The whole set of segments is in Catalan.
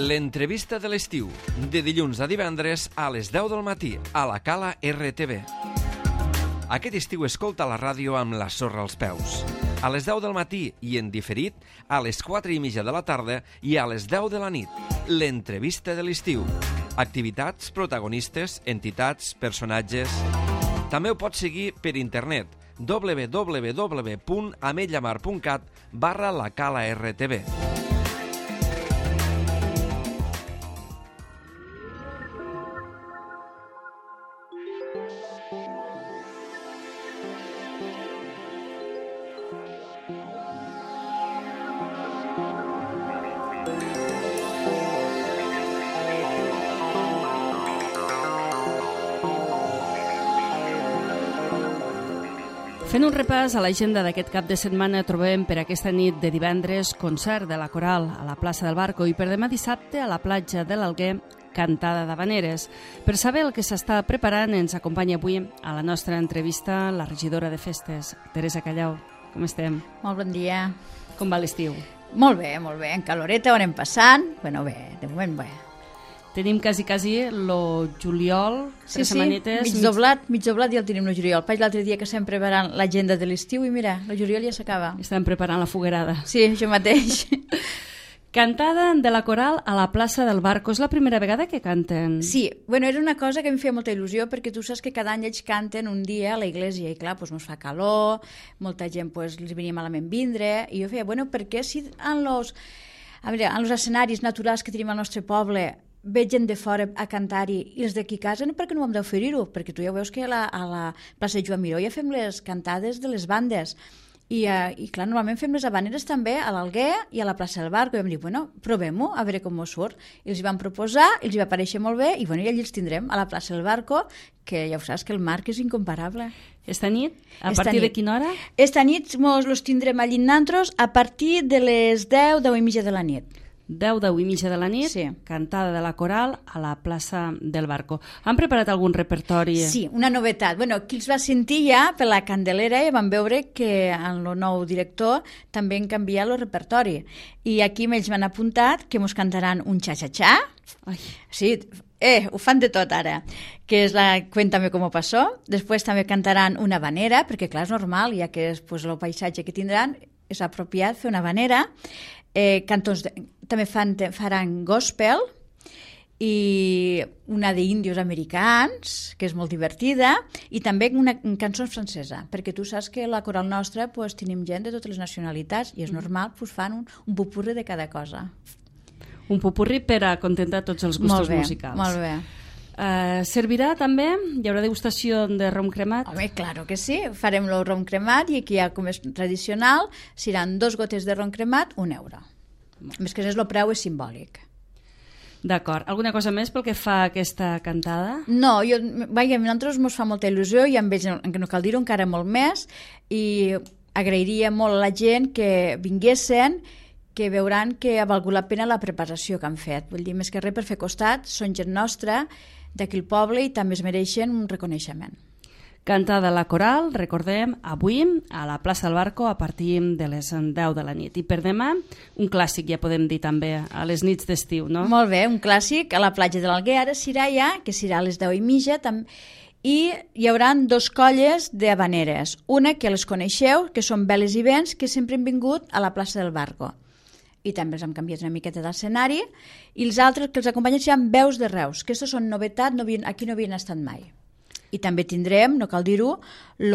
L'entrevista de l'estiu, de dilluns a divendres a les 10 del matí, a la Cala RTV. Aquest estiu escolta la ràdio amb la sorra als peus. A les 10 del matí i en diferit, a les 4:30 de la tarda i a les 10 de la nit. L'entrevista de l'estiu. Activitats, protagonistes, entitats, personatges... També ho pots seguir per internet www.ametlllamar.cat/lacala-rtv. Fent un repàs a l'agenda d'aquest cap de setmana, trobem per aquesta nit de divendres concert de la Coral a la plaça del Barco i per demà dissabte a la platja de l'Alguer, cantada d'Havaneres. Per saber el que s'està preparant, ens acompanya avui a la nostra entrevista la regidora de festes, Teresa Callau. Com estem? Molt bon dia. Com va l'estiu? Molt bé, en caloreta ho anem passant. Bueno, bé, de moment bé. Tenim quasi lo juliol, Sí, setmanetes... mig doblat ja el tenim el juliol. Vaig l'altre dia que estem preparant l'agenda de l'estiu i mira, el juliol ja s'acaba. Estem preparant la foguerada. Sí, això mateix. Cantada de la Coral a la plaça del Barco. És la primera vegada que canten? Sí, bueno, era una cosa que em feia molta il·lusió perquè tu saps que cada any ells canten un dia a la iglesia i clar, doncs ens fa calor, molta gent doncs, li venia malament vindre i jo feia, bueno, per què si en los escenaris naturals que tenim al nostre poble ve gent de fora a cantar-hi i els d'aquí a casa, per què no ho hem d'oferir-ho? Perquè tu ja veus que a la plaça Joan Miró ja fem les cantades de les bandes i clar, normalment fem les habaneres també a l'Alguer i a la plaça del Barco i vam dir, bueno, provem-ho, a veure com ens surt i els hi vam proposar, els hi va aparèixer molt bé i bueno, ja allí els tindrem a la plaça del Barco, que ja ho saps que el marc és incomparable. Esta nit? A partir de quina hora? Esta nit els tindrem allí nantros a partir de les 10 i mitja de la nit. 10 i mitja de la nit, sí. Cantada de la Coral a la plaça del Barco. Han preparat algun repertori? Sí, una novetat. Bueno, qui els va sentir ja per la Candelera i van veure que en el nou director també han canviat el repertori. I aquí ells m'han apuntat que ens cantaran un xa-xa-xa. Sí, ho fan de tot ara, que és la Cuéntame cómo pasó. Després també cantaran una habanera, perquè clar, és normal, ja que és el paisatge que tindran, és apropiat fer una habanera. Cantons també faran gospel i una d'índios americans, que és molt divertida, i també una cançó francesa, perquè tu saps que a la coral nostra tenim gent de totes les nacionalitats i és normal, fan un popurri de cada cosa. Un popurri per a contentar tots els gustos musicals. Molt bé. Servirà també? Hi haurà degustació de rom cremat? Home, claro que sí. Farem el rom cremat i aquí ja, com és tradicional, seran 2 gotes de rom cremat, €1. Més que res, el preu és simbòlic. D'acord. Alguna cosa més pel que fa a aquesta cantada? No, a nosaltres ens fa molta il·lusió i amb ells, no cal dir-ho, encara molt més, i agrairia molt a la gent que vinguessin, que veuran que ha valgut la pena la preparació que han fet. Vull dir, més que res per fer costat, són gent nostra d'aquí al poble i també es mereixen un reconeixement. Cantada la Coral, recordem, avui a la plaça del Barco a partir de les 10 de la nit. I per demà, un clàssic, ja podem dir també, a les nits d'estiu, no? Molt bé, un clàssic a la platja de l'Alguer, ara serà ja, que serà a les 10 i mitja, i hi haurà 2 colles d'habaneres. Una que les coneixeu, que són Veles i Vents, que sempre han vingut a la plaça del Barco. I també els hem canviat una miqueta d'escenari, i els altres que els acompanyen seran Veus de Reus, que aquestes són novetat, aquí no havien estat mai. I també tindrem, no cal dir-ho, el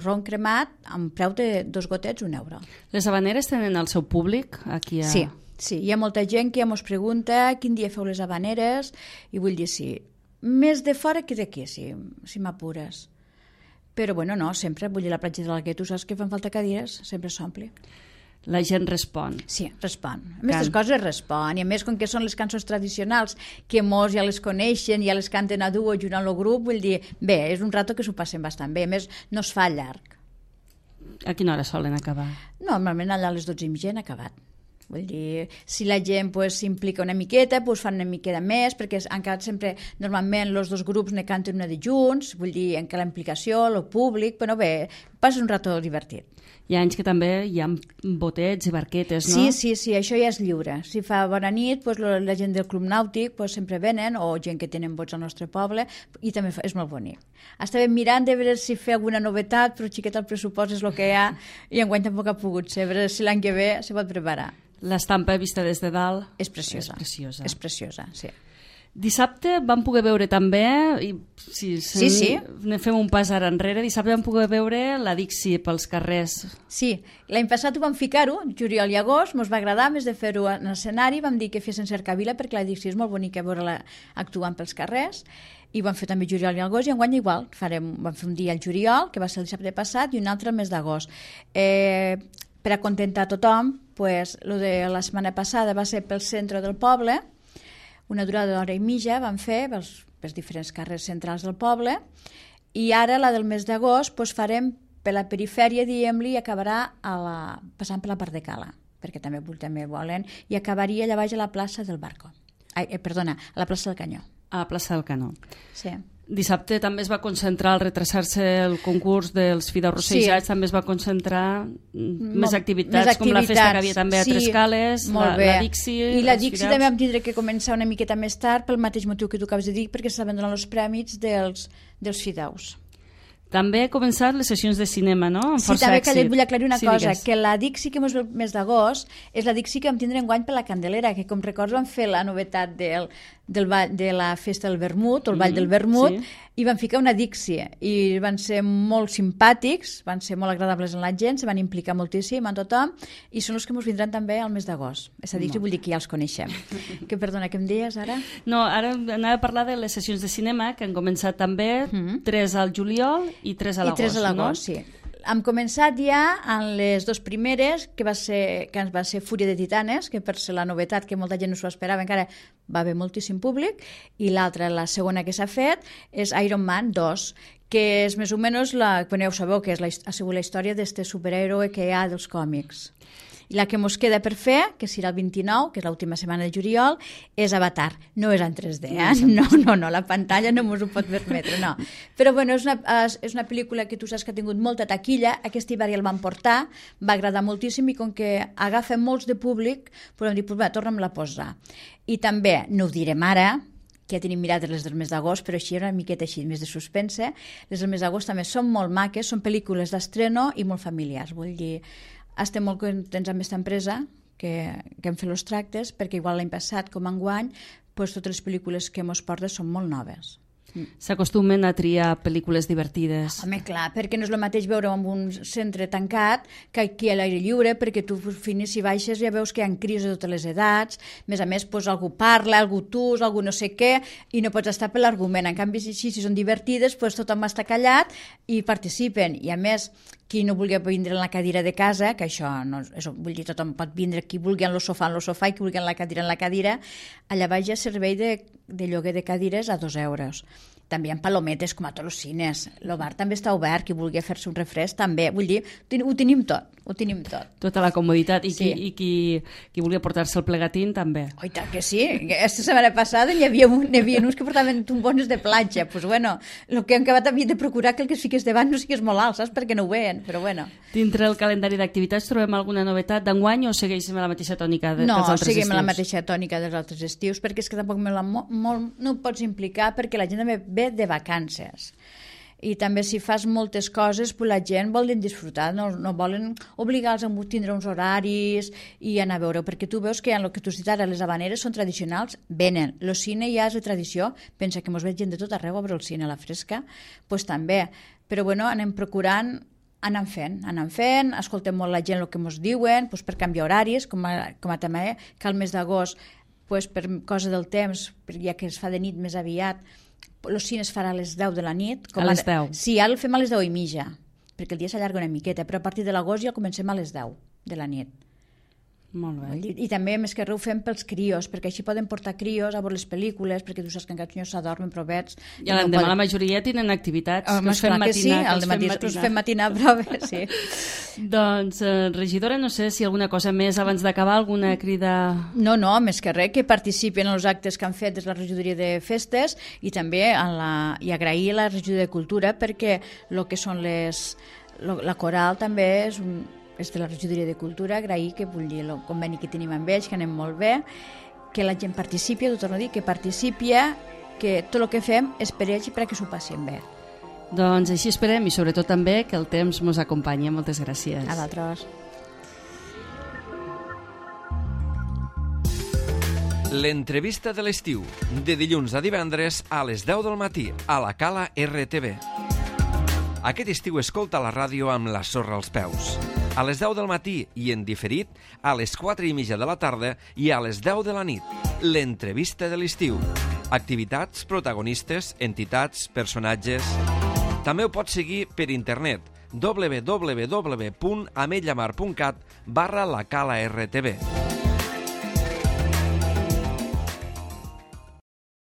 rom cremat amb preu de 2 gotets, €1. Les habaneres tenen el seu públic aquí a... Sí, hi ha molta gent que ja ens pregunta quin dia feu les habaneres, i vull dir, sí, més de fora que d'aquí, si m'apures. Però bueno, no, sempre, vull dir, la platja de l'Alguer, tu saps que fan falta cadires, sempre s'ompli. La gent respon. Sí, respon. A més, les coses respon. I a més, com que són les cançons tradicionals, que molts ja les coneixen, ja les canten a duo junt amb el grup, vull dir, bé, és un rato que s'ho passen bastant bé. A més, no es fa llarg. A quina hora solen acabar? Normalment allà a les 12:30 han acabat. Vull dir, si la gent s'implica una miqueta, fan una miqueta més, perquè han quedat sempre, normalment, els 2 grups ne canten una de junts, vull dir, en que la implicació, el públic, però bé, passa un rato divertit. Hi ha anys que també hi ha botets i barquetes, no? Sí, això ja és lliure. Si fa bona nit, doncs, la gent del Club Nàutic doncs, sempre venen, o gent que tenen bots al nostre poble, i també és molt bonic. Estàvem mirant de veure si fer alguna novetat, però xiquet el pressupost és el que hi ha, i enguany tampoc ha pogut ser, a veure si l'any que ve se pot preparar. L'estampa vista des de dalt és preciosa. És preciosa, sí. Dissabte vam poder veure també, i sí. Fem un pas ara enrere, dissabte vam poder veure la Dixi pels carrers. Sí, l'any passat ho vam ficar-ho, juliol i agost, ens va agradar, més de fer-ho en escenari, vam dir que fessin cercavila perquè la Dixi és molt bonica veure-la actuant pels carrers, i vam fer també juliol i agost, i enguany igual, vam fer un dia al juliol, que va ser el dissabte passat, i un altre el mes d'agost. Per acontentar tothom, pues, lo de la setmana passada va ser pel centre del poble, una durada d'hora i mitja vam fer pels diferents carrers centrals del poble, i ara la del mes d'agost doncs farem per la perifèria, diguem-li, i acabarà passant per la part de Cala, perquè també volen, i acabaria allà baix a la plaça del Barco. A la plaça del Canyó. A la plaça del Canó. Sí. Dissabte també es va concentrar al retrasar-se el concurs dels fideus rossejats, també es va concentrar més activitats, com la festa que havia també a Tres Cales, la Dixi... I la Dixi també vam tindre que començar una miqueta més tard pel mateix motiu que tu acabes de dir, perquè s'estaven donant els prèmits dels fideus. També han començat les sessions de cinema, no? Amb força també èxit. Vull aclarir una cosa, que la Dixi que ens ve el mes d'agost és la Dixi que vam tindre enguany per la Candelera, que com recordo vam fer la novetat de la festa del vermut, o el ball del vermut, i van ficar una Dixi, i van ser molt simpàtics, van ser molt agradables amb la gent, se van implicar moltíssim amb tothom, i són els que ens vindran també al mes d'agost. Aquesta Dixi vull dir que ja els coneixem. Perdona, què em deies ara? No, ara anava a parlar de les sessions de cinema, que han començat també 3 al juliol i 3 a l'agost. I 3 a l'agost, sí. Hem començat ja en les dues primeres, que ens va ser Fúria de Titanes, que per ser la novetat, que molta gent no s'ho esperava, encara va haver moltíssim públic, i l'altra, la segona que s'ha fet, és Iron Man 2, que és més o menys, ja ho sabeu, que ha sigut la història d'aquest superhéroe que hi ha dels còmics. I la que ens queda per fer, que serà el 29, que és l'última setmana de juliol, és Avatar. No és en 3D, No, la pantalla no ens ho pot permetre, no. Però bueno, és una pel·lícula que tu saps que ha tingut molta taquilla, aquest hivern ja el van portar, va agradar moltíssim, i com que agafa molts de públic, podem dir, torna'm-la a posar. I també, no ho direm ara, que ja tenim mirades les del mes d'agost, però així una miqueta així, més de suspense. Les del mes d'agost també són molt maques, són pel·lícules d'estreno i molt familiars, vull dir... Estem molt contents amb aquesta empresa que hem fet els tractes, perquè igual l'any passat com enguany, doncs totes les pel·lícules que ens porta són molt noves. S'acostumen a triar pel·lícules divertides. Home, clar, perquè no és el mateix veure en un centre tancat que aquí a l'aire lliure, perquè tu finis i baixes ja veus que hi ha crios de totes les edats, més a més, doncs, algú parla, algú tus, algú no sé què, i no pots estar per l'argument. En canvi, si són divertides, doncs tothom està callat i participen. I a més, qui no vulgui vindre en la cadira de casa, que això, vull dir, tothom pot vindre, qui vulgui en el sofà, i qui vulgui en la cadira, allà baix hi ha servei de lloguer de cadires a 2 euros. També hi ha palometes, com a tots els cines. El bar també està obert, qui vulgui fer-se un refresc també. Vull dir, ho tenim tot. Tota la comoditat. I qui vulgui portar-se el plegatín també. Oi, tant que sí. Aquesta setmana passada n'hi havia uns que portaven tombones de platja. Doncs bueno, el que hem acabat havia de procurar que el que es fiqués davant no sigués molt alt, saps? Perquè no ho veien, però bueno. Dintre el calendari d'activitats trobem alguna novetat d'enguany o segueixem a la mateixa tònica dels altres estius? No, seguim a la mateixa tònica dels altres estius, perquè és que tampoc no ho pots implicar, perquè la gent també ve de vacances. I també si fas moltes coses, pues la gent volen disfrutar, no volen obligar-los a tindre uns horaris i anar a veure, perquè tu veus que en el que tu has dit ara, les habaneres són tradicionals, venen. El cine ja és de tradició, pensa que mos ve gent de tot arreu a veure el cine a la fresca, doncs també. Però bueno, anem procurant, anem fent, escoltem molt la gent el que ens diuen, doncs per canviar horaris, com a també que al mes d'agost, doncs per cosa del temps, ja que es fa de nit més aviat, els cines farà a les 10 de la nit. A les 10? Sí, ara el fem a les 10 i mitja, perquè el dia s'allarga una miqueta, però a partir de l'agost ja comencem a les 10 de la nit. Molt bé. I també, més que res, ho fem pels crios, perquè així poden portar crios a veure les pel·lícules, perquè tu saps que encara els s'adormen provets. I l'endemà la majoria tenen activitats, que us fem matinar. Us fem matinar proves, sí. Doncs, regidora, no sé si alguna cosa més abans d'acabar, alguna crida... No, més que res, que participen en els actes que han fet des de la regidoria de festes i també i agrair a la regidoria de cultura perquè el que són La Coral també és de la Regidoria de Cultura, agrair que vull dir el conveni que tenim amb ells, que anem molt bé, que la gent participi, ho torno a dir, que participi, que tot el que fem és per ells i perquè s'ho passin bé. Doncs així esperem i sobretot també que el temps ens acompanyi. Moltes gràcies. A l'altres. L'entrevista de l'estiu, de dilluns a divendres a les 10 del matí, a la Cala RTV. Aquest estiu escolta la ràdio amb la sorra als peus. A les 10 del matí i en diferit a les 4:30 de la tarda i a les 10 de la nit. L'entrevista de l'estiu. Activitats, protagonistes, entitats, personatges... També ho pots seguir per internet www.ametlllamar.cat/la Cala RTV.